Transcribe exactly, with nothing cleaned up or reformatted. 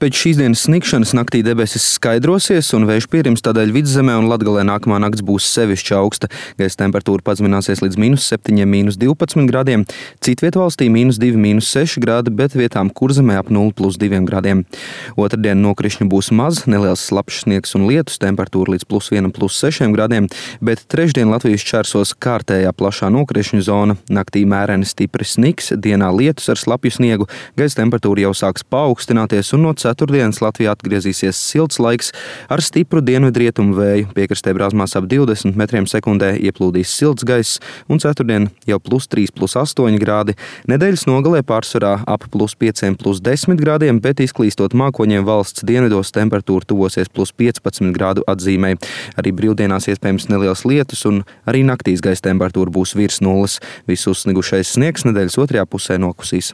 Pēc šīs dienas sniegšanas naktī debesis skaidrosies un vējš pierims, tādēļ Vidzemē un Latgalē nākamā nakts būs sevišķi augsta. Gaisa temperatūra pazemināsies līdz mīnus septiņiem, mīnus divpadsmit grādiem. Citviet valstī mīnus divi, mīnus seši grādi, bet vietām Kurzemē ap nulli plus diviem grādiem. Otrdien nokrišņu būs maz, neliels slapjš sniegs un lietus, temperatūra līdz plus vienam, plus sešiem grādiem, bet trešdien Latvijas čērsos kārtējā plašā nokrišņu zona. Naktī mēreni stipri sniks, dienā lietus ar slapju sniegu, gaisa temperatūra jau sāks paaugstināties un no ceturtdienas Latvijā atgriezīsies silts laiks ar stipru dienvidrietumu vēju. Piekrastē brāzmās ap divdesmit metriem sekundē ieplūdīs silts gaiss un ceturtdien jau plus trīs, plus astoņi grādi. Nedēļas nogalē pārsvarā ap plus pieciem, plus desmit grādiem, bet izklīstot mākoņiem valsts dienvidos temperatūra tuvosies plus piecpadsmit grādu atzīmei. Arī brīvdienās iespējams neliels lietus un arī naktīs gaisa temperatūra būs virs nulles. Viss uzsnigušais sniegs nedēļas otrajā pusē nokusīs.